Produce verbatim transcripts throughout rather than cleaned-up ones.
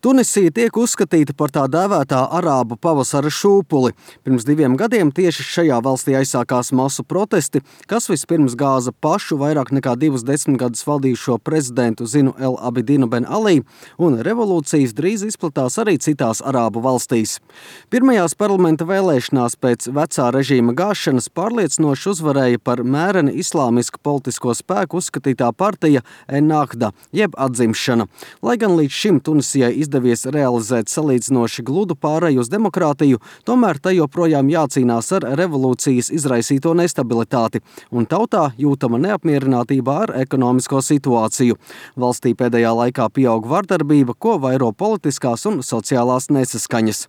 Tunisija tiek uzskatīta par tā dēvētā arābu pavasara šūpuli. Pirms diviem gadiem tieši šajā valstī aizsākās masu protesti, kas vispirms gāza pašu vairāk nekā divus desmitgadus valdījušo prezidentu Zinu El Abidinu Ben Ali, un revolūcijas drīz izplatās arī citās arābu valstīs. Pirmajās parlamenta vēlēšanās pēc vecā režīma gāšanas pārliecinoši uzvarēja par mēreni islāmisku politisko spēku uzskatītā partija Ennahda, jeb atzimšana. Lai gan līdz šim Tunisijai izdevies realizēt salīdzinoši gludu pāreju uz demokrātiju, tomēr tai joprojām jācīnās ar revolūcijas izraisīto nestabilitāti, un tautā jūtama neapmierinātība ar ekonomisko situāciju. Valstī pēdējā laikā pieaug vardarbība, ko vairo politiskās un sociālās nesaskaņas.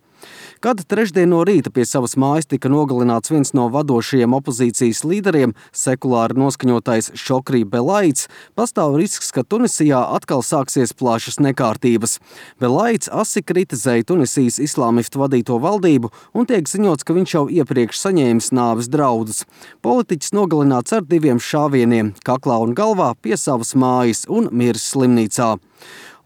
Kad trešdien no rīta pie savas mājas tika nogalināts viens no vadošajiem opozīcijas līderiem, sekulāri noskaņotais Šokrī Belaids, pastāv risks, ka Tunisijā atkal sāksies plašas nekārtības. Belaids asi kritizēja Tunisijas islāmistu vadīto valdību un tiek ziņots, ka viņš jau iepriekš saņēmis nāves draudus. Politiķis nogalināts ar diviem šāvieniem, kaklā un galvā pie savas mājas un miris slimnīcā.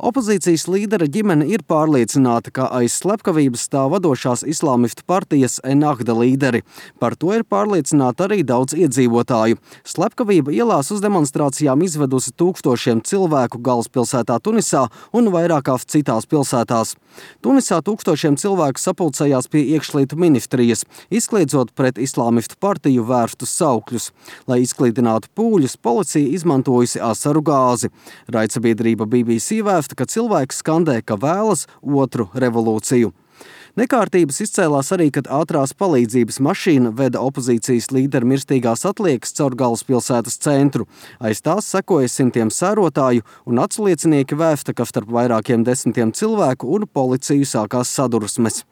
Opozīcijas līdera ģimene ir pārliecināta, ka aiz slepkavības stāv vadošās islāmistu partijas Ennahda līderi. Par to ir pārliecināti arī daudz iedzīvotāju. Slepkavība ielās uz demonstrācijām izvedusi tūkstošiem cilvēku galvaspilsētā Tunisā un vairākās citās pilsētās. Tunisā tūkstošiem cilvēku sapulcējās pie iekšlietu ministrijas, izkliedzot pret islāmistu partiju vērstus saukļus. Lai izklīdinātu pūļus, policija izmantojusi asaru gāzi. Raidsabiedrība B B C vēsta, ka cilvēki skandē, ka vēlas otru revolūciju. Nekārtības izcēlās arī, kad ātrās palīdzības mašīna veda opozīcijas līderu mirstīgās atliekas caur galvaspilsētas centru. Aiz tās sekoja simtiem sērotāju, un atsliecinieki vēsta, ka starp vairākiem desmitiem cilvēku un policiju sākās sadursmes.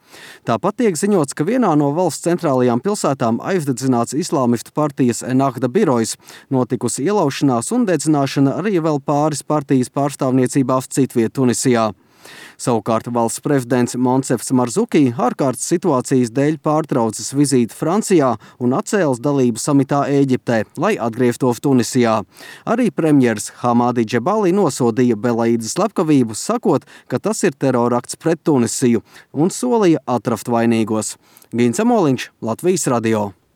Tāpat tiek ziņots, ka vienā no valsts centrālajām pilsētām aizdedzināts islāmistu partijas Ennahda birojas, notikusi ielaušanās un dedzināšana arī vēl pāris partijas pārstāvniecībās citviet Tunisijā. Savukārt valsts prezidents Monsefs Marzuki ārkārtas situācijas dēļ pārtraucis vizīti Francijā un atcēlis dalību samitā Ēģiptē, lai atgrieztos Tunisijā. Arī premjers Hamadi Džebali nosodīja Belaida slepkavību, sakot, ka tas ir terorakts pret Tunisiju, un solīja atrast vainīgos. Gins Amoliņš, Latvijas radio.